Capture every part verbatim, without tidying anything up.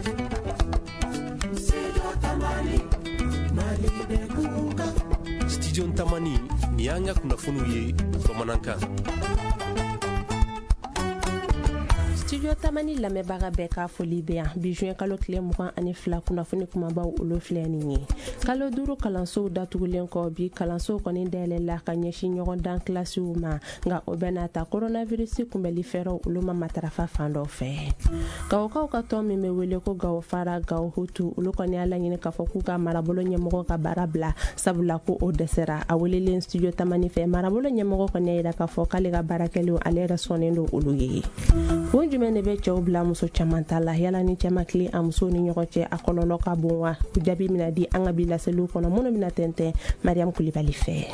Studio Tamani ni y'an ka kunnafoniw ye bamanankan. Studio Tamani lamɛnbaga bɛɛ ka foli bɛ yan. Bi juin kalo tile mugan ani fila kunnafoni kumabaw olu filɛ nin ye. Kalo duuru kalansow datugulen kɔ, bi kalansow kɔni dayɛlɛla ka ɲɛsin ɲɔgɔn dan kilasiw ma, nka o bɛɛ n'a ta coronavirus kunbɛli fɛɛrɛw olu ma matarafa fan dɔ fɛ. Gawokaw ka tɔn min bɛ wele ko Gawo Fara Gawo Hutu, olu kɔni y'a laɲini k'a fɔ k'u ka marabolo ɲɛmɔgɔ ka baara bila, sabula ko o dɛsɛra. A welelen Studio Tamani fɛ, marabolo ɲɛmɔgɔ kɔni y'a jira k'a fɔ k'ale ka baara kɛlenw ale yɛrɛ sɔnnen don olu ye. Kun jumɛn de bɛ cɛw bila muso caman ta la? Yala ni cɛ ma tilen a musow ni ɲɔgɔn cɛ, a kɔlɔlɔ ka bon wa? O jaabi bɛna di an ka bi laseliw kɔnɔ minnu bɛna tɛntɛn Mariam Kulibali fɛ.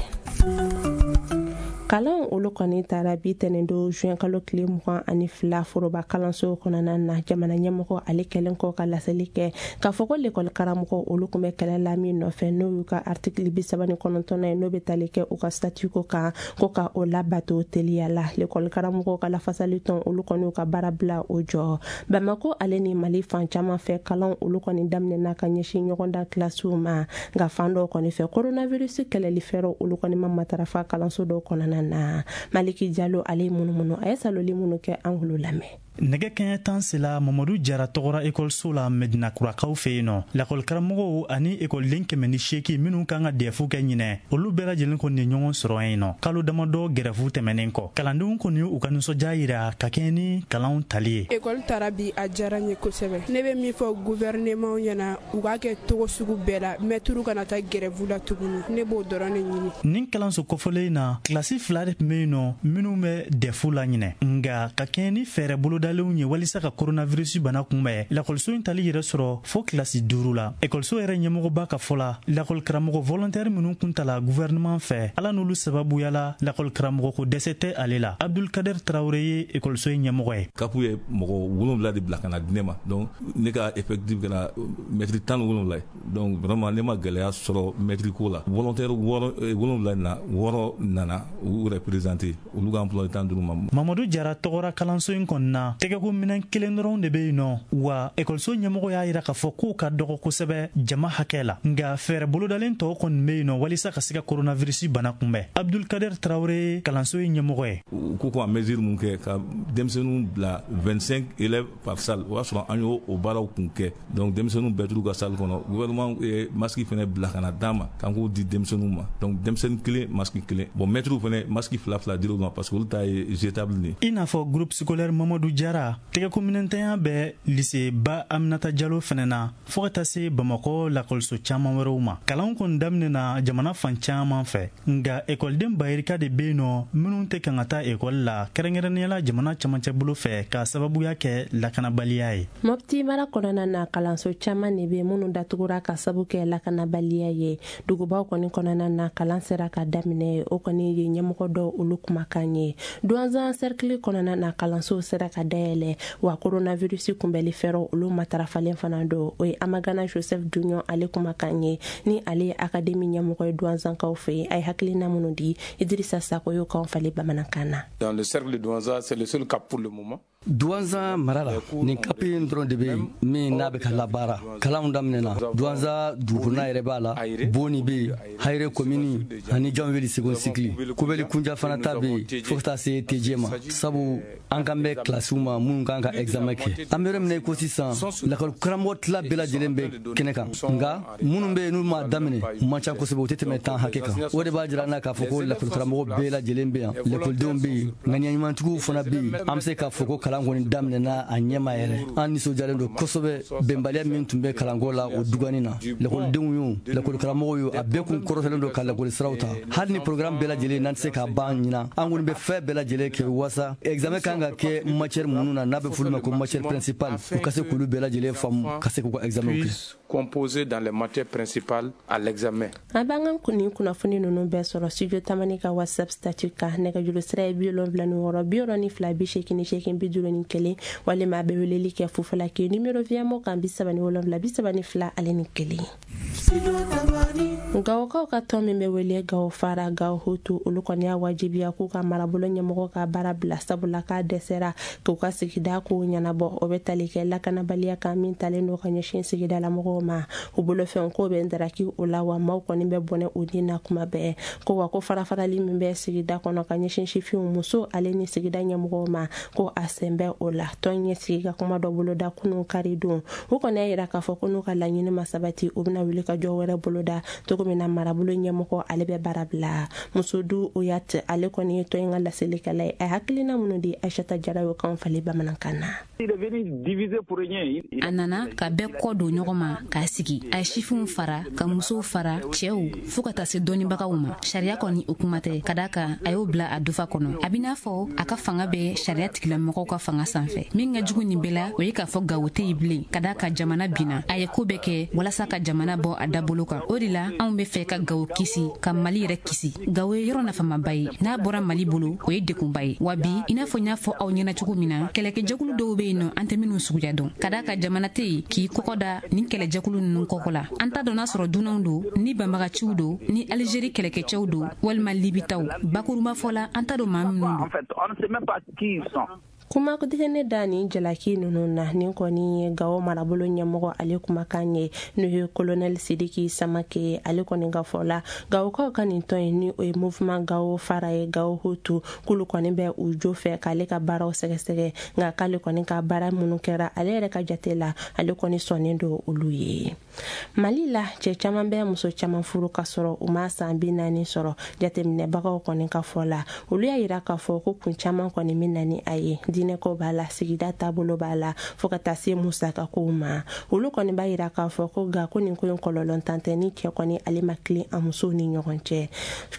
Kalanw olu kɔni taara bi tɛnɛndon juin kalo tile mugan ani fila foroba kalansow kɔnɔna na. Jamana ɲɛmɔgɔ ale kɛlen kɔ ka laseli kɛ k'a fɔ ko lekɔli karamɔgɔ olu tun bɛ kɛlɛ la min nɔfɛ, n'o y'u ka article bi saba ni kɔnɔntɔnnan ye, n'o bɛ tali kɛ u ka statut ko kan, ko ka o labato teliya la. Lekɔli karamɔgɔw ka lafasali tɔn olu kɔni y'u ka baara bila o jɔ. Bamako ale ni Mali fan caman fɛ, kalanw olu kɔni daminɛna ka ɲɛsin ɲɔgɔndan kilasiw ma, nka fan dɔw kɔni fɛ coronavirus kɛlɛli fɛɛrɛw olu kɔni ma matarafa kalanso dɔw kɔnɔna na. Maliki Jalo ale munumunu a ye saloli minnu kɛ, an k'olu lamɛn. Nɛgɛ kɛɲɛ tan sela Mamadu Jara tɔgɔra ekɔliso la Medinakurakaw fɛ yen nɔ. Lakɔlikaramɔgɔw ani ekɔliden kɛmɛ ni seegin minnu kan ka dɛfu kɛ ɲinɛ, olu bɛɛ lajɛlen kɔni ye ɲɔgɔn sɔrɔ yen nɔ. Kalo damadɔ gɛrɛfu tɛmɛnen kɔ, kalandenw kɔni u ka nisɔndiya yira ka kɛɲɛ ni kalanw tali ye. Ekɔli taara bi, a diyara n ye kosɛbɛ. Ne bɛ min fɔ gouvernement ɲɛna, u k'a kɛ togo sugu bɛɛ la, mɛtiriw kana taa gɛrɛfu la tuguni. Ne b'o dɔrɔn de ɲini. Nin kalanso kɔfɔlen in na, kilasi fila de tun bɛ yen nɔ minnu bɛ dɛfu la ɲinɛ, nka ka kɛɲɛ ni fɛɛrɛ boloda ye walisa ka coronavirus bana kunbɛn, lakɔliso in tali yɛrɛ sɔrɔ fo kilasi duuru la. Ekɔliso yɛrɛ ɲɛmɔgɔba ka fɔ la, lakɔlikaramɔgɔ volontaire minnu kun tala gouvernement fɛ, ala n'olu sababuya la lakɔlikaramɔgɔ ko dɛsɛ tɛ ale la. Abdulkader Traoré ye ekɔliso in ɲɛmɔgɔ ye. Kapu ye mɔgɔ wolonwula de bila ka na di ne ma, donc ne ka effectif kɛra mɛtiri tan ni wolonwula ye. Donc vraiment ne ma gɛlɛya sɔrɔ mɛtiri ko la. Volontaire wɔɔrɔ wolonwula na, wɔɔrɔ nana u yɛrɛ présenter, olu ka emploi tan duuru ma. Mamadu Jara tɔgɔra kalanso in kɔni na, tɛgɛko minɛn kelen dɔrɔn de bɛ yen nɔ, wa ekɔliso ɲɛmɔgɔ y'a jira k'a fɔ k'o ka dɔgɔ kosɛbɛ jama hakɛ la, nka fɛɛrɛ bolodalen tɔw kɔni bɛ yen nɔ walisa ka se ka coronavirus bana kunbɛn. Abdulkader Traoré kalanso in ɲɛmɔgɔ ye. U ko ko a mesure mun kɛ ka denmisɛnninw bila vingt-cinq élèves par salle, o y'a sɔrɔ an y'o o baaraw kun kɛ. Donc denmisɛnninw bɛɛ t'u ka salle kɔnɔ. Gouvernement ye masque fɛnɛ bila ka na d'an ma k'an k'o di denmisɛnninw ma. Donc denmisɛnnin kelen masque kelen, bon mɛtiriw fɛnɛ masque fila fila dir'u ma parce que olu ta ye jetable de ye. I n'a fɔ groupe scolaire Mamadu Jara, tɛgɛko minɛntanya bɛ lycée Ba Aminata Jalo fɛnɛ na, fo ka taa se Bamakɔ lakɔliso caman wɛrɛw ma. Kalanw kɔni daminɛna jamana fan caman fɛ, nka ekɔliden bayirika de bɛ yen nɔ minnu tɛ kan ka taa ekɔli la, kɛrɛnkɛrɛnnenya la jamana camancɛ bolo fɛ, k'a sababuya kɛ lakanabaliya ye. Mopti mara kɔnɔna na, kalanso caman de bɛ minnu datugura ka sabu kɛ lakanabaliya ye. Dugubaw kɔni kɔnɔna na, kalan sera ka daminɛ, o kɔni ye ɲɛmɔgɔ dɔw olu kumakan ye. Duwanzan cercle kɔnɔna na, kalansow sera ka dayɛlɛ, wa coronavirus kunbɛli fɛɛrɛw olu matarafalen fana don. O ye Amagana Joseph Dunion ale kumakan ye, ni ale ye akademi ɲɛmɔgɔ ye Duwanzankaw fɛ yen. A ye hakilina minnu di, Idrissa Sako y'o kan falen bamanankan na. Dans le cercle de Douentza, c'est le seul cap pour le moment. Duwanza mara la, nin kapi in dɔrɔn de bɛ yen min n'a bɛ ka labaara. Kalanw daminɛna Duwanza dugukɔnɔna yɛrɛ b'a la, Boni bɛ yen, Hayire komini ani Janweli second cycle, Kobeli Kunja fana ta bɛ yen, fo ka taa se T J ma. Sabu an kan bɛ kilasiw ma minnu kan ka examen kɛ. An bɛ yɔrɔ min na i ko sisan, lakɔli karamɔgɔ tila bɛɛ lajɛlen bɛ kɛnɛ kan, nka minnu bɛ yen n'u m'a daminɛ u man ca kosɛbɛ, u tɛ tɛmɛ tan hakɛ kan. O de b'a jira an na k'a fɔ ko lakɔli karamɔgɔ bɛɛ lajɛlen bɛ yan, lakɔlidenw bɛ yen, ŋaniyaɲumantigiw fana bɛ yen. An bɛ se k'a fɔ ko kalan kɔni daminɛna a ɲɛma yɛrɛ. An nisɔndiyalen don kosɛbɛ. Bɛnbaliya min tun bɛ kalanko la o dugani na, lakɔlidenw y'o, lakɔlikaramɔgɔw y'o, a bɛɛ kun kɔrɔtɔlen don ka lakɔli siraw ta. Hali ni programme bɛɛ lajɛlen n'an tɛ se k'a ban ɲinan, an kɔni bɛ fɛn bɛɛ lajɛlen kɛ walasa examen kan ka kɛ matière minnu na, n'a bɛ f'olu ma ko matière principale, u ka se k'olu bɛɛ lajɛlen faamu ka se k'u ka examen kɛ. Composé dans les matières principales à l'examen. An b'an ka nin kunnafoni ninnu bɛɛ sɔrɔ Studio Tamani ka WhatsApp statut kan. Nɛgɛjuru sira ye bi wolonwula ni wɔɔrɔ bi wɔɔrɔ ni fila bi seegin ni seegin bi duuru. duuru ni kelen, walima a bɛ weleli kɛ Fufalaki numéro Viamo kan bi saba ni wolonwula bi saba ni fila ale ni kelen. Gawokaw ka tɔn min bɛ wele Gawo Fara Gawo Hutu, olu kɔni y'a wajibiya k'u ka marabolo ɲɛmɔgɔ ka baara bila, sabula k'a dɛsɛra k'u ka sigida kow ɲɛnabɔ. O bɛ tali kɛ lakanabaliya kan min talen don ka ɲɛsin sigidalamɔgɔw ma. U bolofɛnw ko bɛ ndaraki o la, wa maaw kɔni bɛ bɔnɛ u ni na kuma bɛɛ. Ko wa ko farafarali min bɛ sigida kɔnɔ ka ɲɛsin sifinw, muso ale ni sigida ɲɛmɔgɔw ma, ko a sen bɛ o la. Tɔn ɲɛ sigi ka kuma dɔ boloda kunun kari don. U kɔni y'a yira k'a fɔ ko n'u ka laɲini ma sabati, u bɛna wuli ka jɔ wɛrɛ boloda cogo min na marabolo ɲɛmɔgɔ ale bɛ baara bila. Musodu Oyat ale kɔni ye tɔn in ka laselikɛla ye. A hakilina minnu di Aïssata Jara y'o kan falen bamanankan na. A nana ka bɛɛ kɔ don ɲɔgɔn ma k'a sigi. A ye sifinw fara, ka musow fara, cɛw fo ka taa se dɔnnibagaw ma. Sariya kɔni o kuma tɛ, ka d'a kan a y'o bila a dufa kɔnɔ. A b'i n'a fɔ a ka fanga bɛ sariya tigilamɔgɔw ka fanga sanfɛ. Min ka jugu nin bɛɛ la, o ye k'a fɔ Gawo tɛ yen bilen, ka d'a kan jamana binna. A ye ko bɛɛ kɛ walasa ka jamana bɔ a dabolo kan. O de la anw bɛ fɛ ka Gawo kisi, ka Mali yɛrɛ kisi. Gawo ye yɔrɔ nafamaba ye, n'a bɔra Mali bolo o ye degunba ye. Wa bi, i n'a fɔ n y'a fɔ aw ɲɛna cogo min na, kɛlɛkɛjɛkulu dɔw bɛ yen nɔ an tɛ minnu suguya dɔn. Ka d'a kan jamana tɛ yen k'i kɔkɔ da nin kɛlɛjɛkulu ninnu kɔkɔ la. An t'a dɔn n'a sɔrɔ dunanw don, ni banbagaciw don, ni Algérie kɛlɛkɛcɛw don, walima Libitaw. Bakurunba fɔ la, an t'a dɔn maa minnu don. Kuma ne da ni jalaki ninnu na, nin kɔni ye Gawo marabolo ɲɛmɔgɔ ale kumakan ye, n'o ye colonel Sidiki Samake. Ale kɔni ka fɔ la, Gawokaw ka nin tɔn in ni o ye mouvement Gawo Fara ye Gawo Hutu, k'olu kɔni bɛ u jo fɛ k'ale ka baaraw sɛgɛsɛgɛ, nka k'ale kɔni ka baara minnu kɛra ale yɛrɛ ka jate la, ale kɔni sɔnnen don olu ye. Mali la, cɛ caman bɛ muso caman furu ka sɔrɔ u ma san bi naani sɔrɔ. Jateminɛbagaw kɔni ka fɔ la, olu y'a yira k'a fɔ ko kun caman kɔni bɛ na ni a ye. Diinɛko b'a la, sigida taabolo b'a la, fo ka taa se musakakow ma. Olu kɔni b'a yira k'a fɔ ko nka ko nin ko in kɔlɔlɔntan tɛ, ni cɛ kɔni ale ma tilen a musow ni ɲɔgɔn cɛ.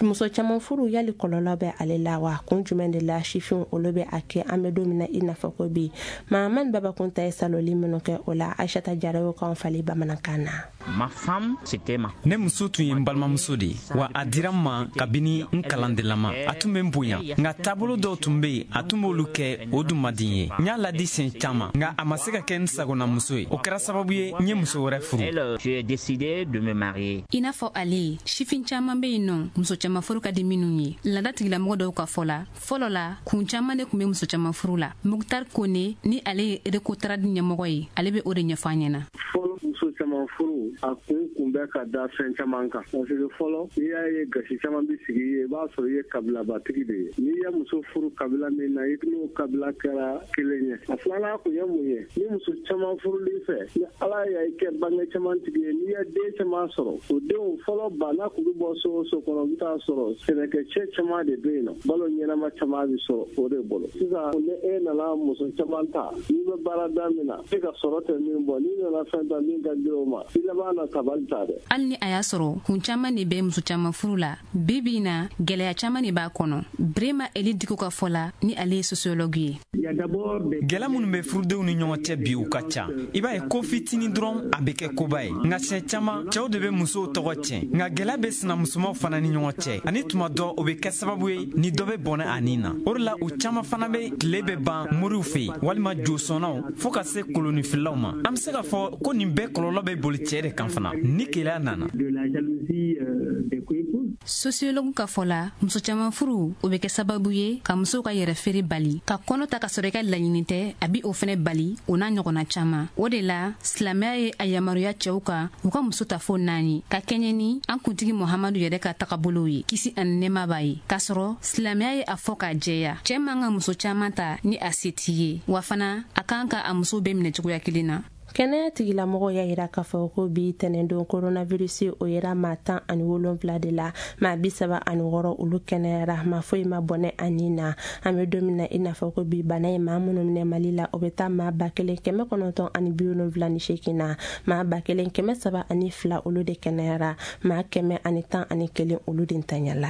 Muso caman furu yali kɔlɔlɔ bɛ ale la wa? Kun jumɛn de la sifinw olu bɛ a kɛ an bɛ don min na i n'a fɔ ko bi? Mahamani Babakunta ye saloli minnu kɛ o la, Aïssata Jara y'o kan falen bamanankan na. Ma femme, c'était ma. Ne muso tun ye n balimamuso de ye, wa a dira n ma kabini n kalandelama. A tun bɛ n bonya, nka taabolo dɔw tun bɛ yen, a tun b'olu kɛ, o dun man di n ye. N y'a ladi siɲɛ caman, nka a ma se ka kɛ n sagonamuso ye. O kɛra sababu ye n ye muso wɛrɛ furu. J'ai décidé de me marier. I n'a fɔ ale, sifin caman bɛ yen nɔ, muso caman furu ka di minnu ye. Laada tigilamɔgɔ dɔw ka fɔ la, fɔlɔ la, kun caman de tun bɛ muso caman furu la. Muktar Kone ni ale ye Recotrad ɲɛmɔgɔ ye, ale bɛ o de ɲɛfɔ an ɲɛna. Fɔlɔ muso caman furu a kun kun bɛ ka da fɛn caman kan, parce que fɔlɔ n'i y'a ye gasi caman bɛ sigi i ye, i b'a sɔrɔ i ye kabilabatigi de ye. N'i ye muso furu kabila min na, i n'o kabila kɛra kelen ye. A filanan kun ye mun ye? Ni muso caman furuli fɛ, ni Ala y'a kɛ bange caman tigi ye, n'i ye den caman sɔrɔ, o denw fɔlɔ bana kun bɛ bɔ so o so kɔnɔ, i bɛ taa sɔrɔ sɛnɛkɛcɛ caman de bɛ yen nɔ, balo ɲɛnama caman bɛ sɔrɔ o de bolo. Sisan ni e nana muso caman ta, n'i bɛ baarada min na, e ka sɔrɔ tɛ min bɔ, n'i nana fɛn ta min ka di o ma, i laban na tabali ta dɛ. Hali ni a y'a sɔrɔ kun caman de bɛ muso caman furu la, bi bi in na gɛlɛya caman de b'a kɔnɔ. Brema Eli Diko ka fɔ la, ni ale ye sociologue ye. Gɛlɛya minnu bɛ furudenw ni ɲɔgɔn cɛ bi, u ka ca. I b'a ye ko fitinin dɔrɔn a bɛ kɛ koba ye, nka siɲɛ caman cɛw de bɛ musow tɔgɔ tiɲɛ. Nka gɛlɛya bɛ sinamusomaw fana ni ɲɔgɔn cɛ, ani tuma dɔ o bɛ kɛ sababu ye ni dɔ bɛ bɔnɛ a nin na. O de la u caman fana bɛ tile bɛ ban moriw fɛ yen, walima josɔnnaw, fo ka se kolonifilaw ma. An bɛ se k'a fɔ ko nin bɛɛ kɔlɔlɔ bɛ boli cɛ de kan fana ni keleya nana. Sociologue ka fɔ la, muso caman furu o bɛ kɛ sababu ye ka musow ka yɛrɛ feere bali, ka kɔnɔ ta ka sɔrɔ i ka laɲini tɛ, a bi o fɛnɛ bali, o n'a ɲɔgɔnna caman. O de la silamɛya ye a yamaruya cɛw kan u ka muso ta fo naani, ka kɛɲɛ ni an kuntigi Muhamadu yɛrɛ ka tagabolow ye, kisi ani nɛɛma b'a ye. K'a sɔrɔ silamɛya ye a fɔ k'a jɛya, cɛ man ka muso caman ta ni a se t'i ye, wa fana a kan ka a muso bɛɛ minɛ cogoya kelen na. Kɛnɛya tigilamɔgɔw y'a yira k'a fɔ ko bi tɛnɛndon coronavirus o yera maa tan ani wolonwula de la, maa bi saba ani wɔɔrɔ olu kɛnɛyara, maa foyi ma bɔnɛ a nin na. An bɛ don min na i n'a fɔ ko bi bana ye maa minnu minɛ Mali la, o bɛ taa maa ba kelen kɛmɛ kɔnɔntɔn ani bi wolonwula ni seegin na, maa ba kelen kɛmɛ saba ani fila olu de kɛnɛyara, maa kɛmɛ ani tan ani kelen olu de ntanyala.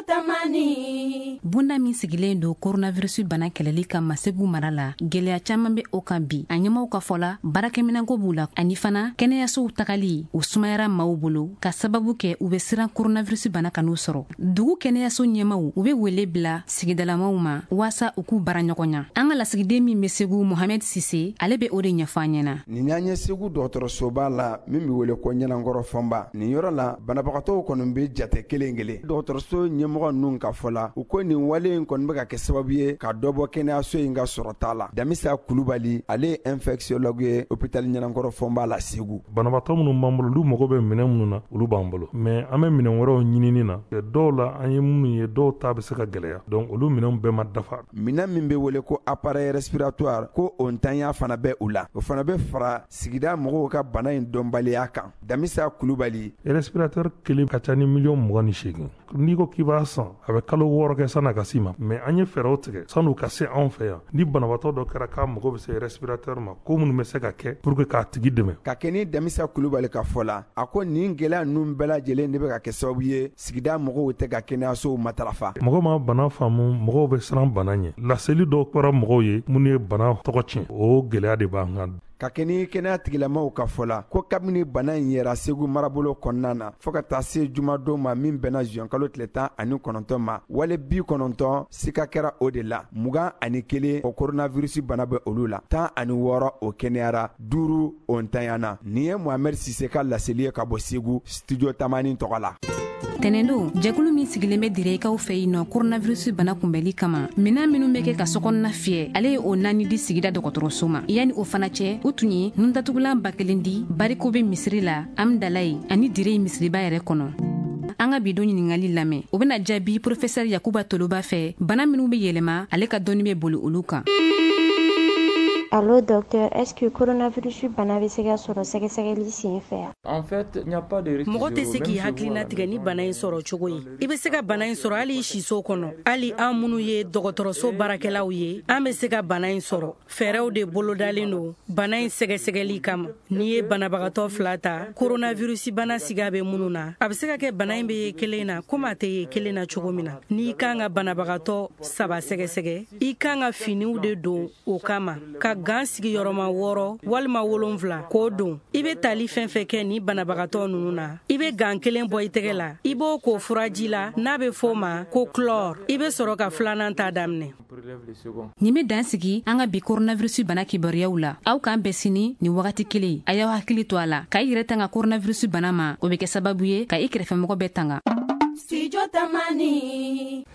Tamani. Bonda min sigilen don coronavirus bana kɛlɛli kama Segu mara la, gɛlɛya caman bɛ o kan bi. A ɲɛmaw ka fɔ la, baarakɛminɛnko b'u la, ani fana kɛnɛyasow tagali o sumayara maaw bolo ka sababu kɛ u bɛ siran coronavirus bana kan'u sɔrɔ. Dugu kɛnɛyaso ɲɛmaw u bɛ wele bila sigidalamaw ma waasa u k'u baara ɲɔgɔn ɲa. An ka lasigiden min bɛ Segu, Mohamed Sise, ale bɛ o de ɲɛfɔ an ɲɛna. Nin y'an ye Segu dɔgɔtɔrɔsoba la min bɛ wele ko Ɲɛnankɔrɔ Fɔnba. Nin yɔrɔ la, banabagatɔw kɔni bɛ jate kelen kelen. Dɔgɔtɔrɔso ɲɛmɔgɔ ninnu ka fɔ la, u ko nin wale in kɔni bɛ ka kɛ sababu ye ka dɔ bɔ kɛnɛyaso in ka sɔrɔta la. Damisa Kulubali, ale ye infectiologue ye hôpital Ɲɛnankɔrɔ Fɔnba la Segu. Banabaatɔ minnu b'an bolo, olu mago bɛ minɛn minnu na, olu b'an bolo, mais an bɛ minɛn wɛrɛw ɲinini na. Dɔw la an ye minnu ye, dɔw ta bɛ se ka gɛlɛya, donc olu minɛnw bɛɛ ma dafa. Minɛn min bɛ wele ko appareil respiratoire, ko o ntanya fana bɛ u la. O fana bɛ fara sigida mɔgɔw ka bana in dɔnbaliya kan. Damisa Kulubali: respirateur kelen ka ca ni miliyɔn mugan ni seegin. N'i ko k'i b'a san, a bɛ kalo wɔɔrɔ kɛ san'a ka s'i ma. Mais an ye fɛɛrɛw tigɛ san'u ka se anw fɛ yan. Ni banabaatɔ dɔ kɛra k'a mago bɛ se respirateur ma, ko minnu bɛ se ka kɛ pour que k'a tigi dɛmɛ. Ka kɛ ni Damisa Kulubali ka fɔ la, a ko nin gɛlɛya ninnu bɛɛ lajɛlen de bɛ ka kɛ sababu ye sigida mɔgɔw tɛ ka kɛnɛyasow matarafa. Mɔgɔ ma bana faamu, mɔgɔw bɛ siran bana ɲɛ. Laseli dɔw kɛra mɔgɔw ye minnu ye bana tɔgɔ tiɲɛ, o gɛlɛya de b'an kan. Ka kɛ ni kɛnɛya tigilamaw ka fɔ la, ko kabini bana in yɛrɛ Segu marabolo kɔnɔna na fɔɔ ka taa se jumadon ma min bɛnna zuwɛnkalo tile tan ani kɔnɔntɔn ma, wale bi kɔnɔntɔn sika kɛra o de la, mugan ani kelen o coronavirus bana bɛ olu la, tan ani wɔɔrɔ o kɛnɛyara, duuru o ntanyana. Nin ye Mohamed Sise ka laseli ye ka bɔ Segu, studio Tamani tɔgɔ la. Tɛnɛndon, jɛkulu min sigilen bɛ Direkaw fɛ yen nɔ coronavirus bana kunbɛli kama, minɛn minnu bɛ kɛ ka sokɔnɔna fiyɛ, ale ye o naani di sigida dɔgɔtɔrɔso ma. Yanni o fana cɛ, u tun ye nundatugulan ba kelen di Bariko bɛ misiri la, Amdalaye ani Dire misiriba yɛrɛ kɔnɔ. An ka bi don ɲininkali lamɛn, o bɛna jaabi professeur Yakuba Toloba fɛ, bana minnu bɛ yɛlɛma, ale ka dɔnni bɛ boli olu kan. Allo docteur, est-ce que coronavirus bana bɛ se ka sɔrɔ sɛgɛsɛgɛli sen fɛ? En fait, il n'y a pas de risque. Mɔgɔ tɛ se k'i hakilina tigɛ ni bana in sɔrɔ cogo ye. I bɛ se ka bana in sɔrɔ hali i siso kɔnɔ. Hali an minnu ye dɔgɔtɔrɔso baarakɛlaw ye, an bɛ se ka bana in sɔrɔ. Fɛɛrɛw de bolodalen don bana in sɛgɛsɛgɛli kama. N'i ye banabagatɔ fila ta, coronavirus bana siga bɛ minnu na, a bɛ se ka kɛ bana in bɛ ye kelen na komi a tɛ ye kelen na cogo min na. N'i kan ka banabagatɔ saba sɛgɛsɛgɛ, i kan ka finiw de don o kama, ka gan sigiyɔrɔma wɔɔrɔ walima wolonfila k'o don. I bɛ tali fɛn fɛn kɛ ni banabagatɔ ninnu na, i bɛ gan kelen bɔ i tɛgɛ la, i b'o ko furaji la n'a bɛ f'o ma ko chlore, i bɛ sɔrɔ ka filanan ta daminɛ. Nin bɛ dan sigi an ka bi coronavirus bana kibaruyaw la. Aw k'an bɛn sini nin wagati kelen. A y'aw hakili to a la k'a yɛrɛ tanga coronavirus bana ma, o bɛ kɛ sababu ye ka i kɛrɛfɛmɔgɔ bɛɛ tanga. Studio Tamani.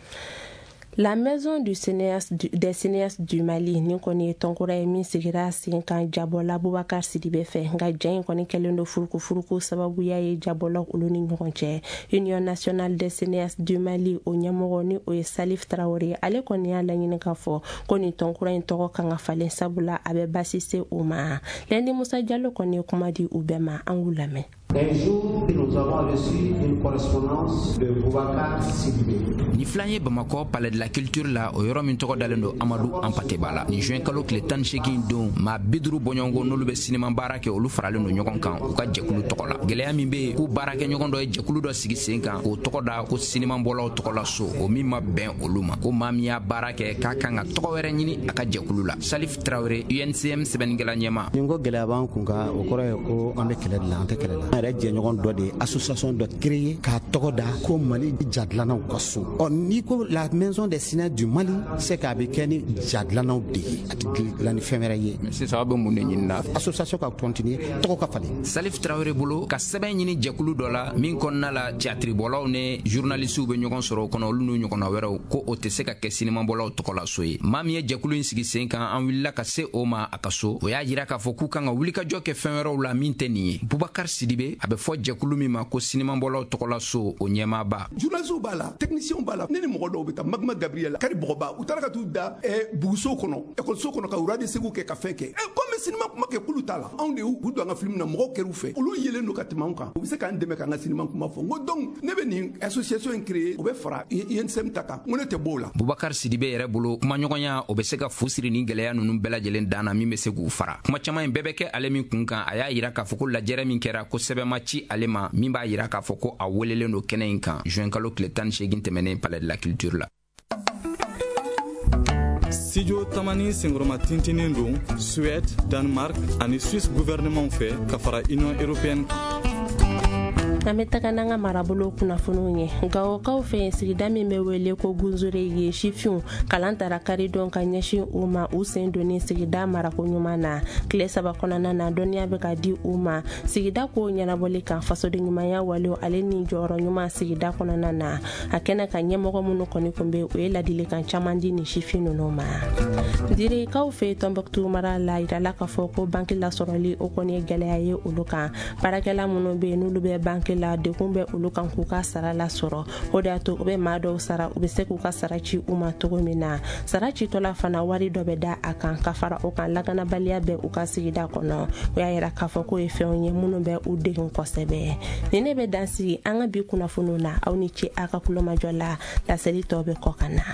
La maison du cinéaste du, des cinéastes du Mali ni kɔni ye tɔnkura ye min sigira sen kan jabɔla Bubakar Sidibe fɛ, nka ja in kɔni kɛlen don furukufuruku sababuya ye jabɔlaw olu ni ɲɔgɔn cɛ. Union nationale des cinéastes du Mali o ɲɛmɔgɔ ni o ye Salif Traoré, ale kɔni y'a laɲini k'a fɔ ko nin tɔnkura in tɔgɔ kan ka falen, sabula a bɛ baasi se o ma. Lɛndi Musa Jalo kɔni ye kuma di u bɛɛ ma, an k'u lamɛn. Un jour, nous avons reçu une correspondance de Boubacar Sidibé. Ni filan ye Bamakɔ Palais de la Culture la, o yɔrɔ min tɔgɔ dalen don Amadu Anpateba la. Ni juin kalo tile tan ni seegin don, maa bi duuru bɔɲɔgɔnko n'olu bɛ sinima baara kɛ, olu faralen don ɲɔgɔn kan u ka jɛkulu tɔgɔ la. Gɛlɛya min bɛ yen, k'u baarakɛɲɔgɔn dɔ ye jɛkulu dɔ sigi sen kan k'o tɔgɔ da ko sinimabɔlaw tɔgɔ la so, o min ma bɛn olu ma. Ko maa min y'a baara kɛ k'a kan ka tɔgɔ wɛrɛ ɲini a ka jɛkulu la. Salif Traoré, U N C M sɛbɛnnikɛla ɲɛmaa. Ni ko gɛlɛya b'an kun kan, o kɔrɔ ye ko an bɛ kɛlɛ de la, an tɛ kɛlɛ la. An yɛrɛ jɛɲɔgɔn dɔ de ye association dɔ créer k'a tɔgɔ da ko Mali jadilannaw ka so. Ɔ n'i ko la maison des cinéastes du Mali, c'est k'a bɛ kɛ ni jadilannaw de ye, a tɛ dilan ni fɛn wɛrɛ ye. Sisan aw bɛ mun de ɲini na? Association ka continuer, tɔgɔ ka falen. Salif Traoré bolo ka sɛbɛn ɲini jɛkulu dɔ la min kɔnɔna la théâtre-bɔlaw ni journalistes bɛ ɲɔgɔn sɔrɔ o kɔnɔ, olu n'u ɲɔgɔnna wɛrɛw, ko o tɛ se ka kɛ sinimabɔlaw tɔgɔ la so ye. Maa min ye jɛkulu in sigi sen kan, an wulila ka se o ma a ka so, o y'a jira k'a fɔ k'u kan ka wulikajɔ kɛ fɛn wɛrɛw la min tɛ nin ye. Bubakar Sidibe, a bɛ fɔ jɛkulu min ma ko sinimabɔlaw tɔgɔ la so, o ɲɛmaaba. Journalistes b'a la, techniciens b'a la, ne ni mɔgɔ dɔw bɛ taa Magma Gabriel, Kari Bɔgɔba, u taara ka t'u da buguso kɔnɔ, ekɔliso kɔnɔ ka wura de segu kɛ ka fɛn kɛ. Comme bɛ sinima kuma kɛ k'olu t'a la, anw de y'u don an ka film na, mɔgɔw kɛr'u fɛ, olu yelen don ka tɛmɛ anw kan, u bɛ se k'an dɛmɛ k'an ka sinima kuma fɔ. N ko donc ne bɛ nin association in créer, o bɛ fara I N S M ta kan, n ko ne tɛ bɔ o la. Bubakar Sidibe yɛrɛ bolo, kumaɲɔgɔnya o bɛ se ka fu siri ni gɛlɛya ninnu bɛɛ lajɛlen dan na min bɛ se k'u fara. Kuma caman in bɛɛ bɛ kɛ ale min kun kan, a y'a yira k'a fɔ ko lajɛrɛ min kɛra ko sɛbɛn ma ci ale ma min b'a yira k'a fɔ ko a welelen don kɛnɛ in kan juin kalo tile tan ni seegin tɛmɛnen Palais de la Culture la. Studio Tamani senkɔrɔma tintinen don Suède, Danemark ani Suisse gouvernement fɛ ka fara Union européenne kan. An bɛ taga n'an ka marabolo kunnafoniw ye. Gawokaw fɛ yen, sigida min bɛ wele ko Gunzore ye sifinw kalan tara karidon ka ɲɛsin u ma u sen donni sigida marako ɲuman na. Tile saba kɔnɔna na, dɔnniya bɛ ka di u ma sigida ko ɲɛnabɔli kan, fasoden ɲumanya walew ale ni jɔyɔrɔ ɲuman sigida kɔnɔna na. A kɛnɛ ka ɲɛmɔgɔ minnu kɔni kun bɛ, u ye ladilikan caman di nin sifin ninnu ma. Direkaw fɛ Tɔnbɔkutu mara la, yirala k'a fɔ ko banki lasɔrɔli o kɔni ye gɛlɛya ye olu kan. Baarakɛla minnu bɛ yen n'olu bɛ banki la, dekun bɛ olu kan k'u ka sara lasɔrɔ. O de y'a to u bɛ maa dɔw sara, u bɛ se k'u ka sara ci u ma cogo min na. Sara citɔla fana wari dɔ bɛ da a kan. Ka fara o kan, lakanabaliya bɛ u ka sigida kɔnɔ. O y'a yira k'a fɔ k'o ye fɛnw ye minnu bɛ u degun kosɛbɛ. Ni ne bɛ dan sigi an ka bi kunnafoniw na, aw ni ce a ka kulomajɔ la. Laseli tɔ bɛ kɔ ka na.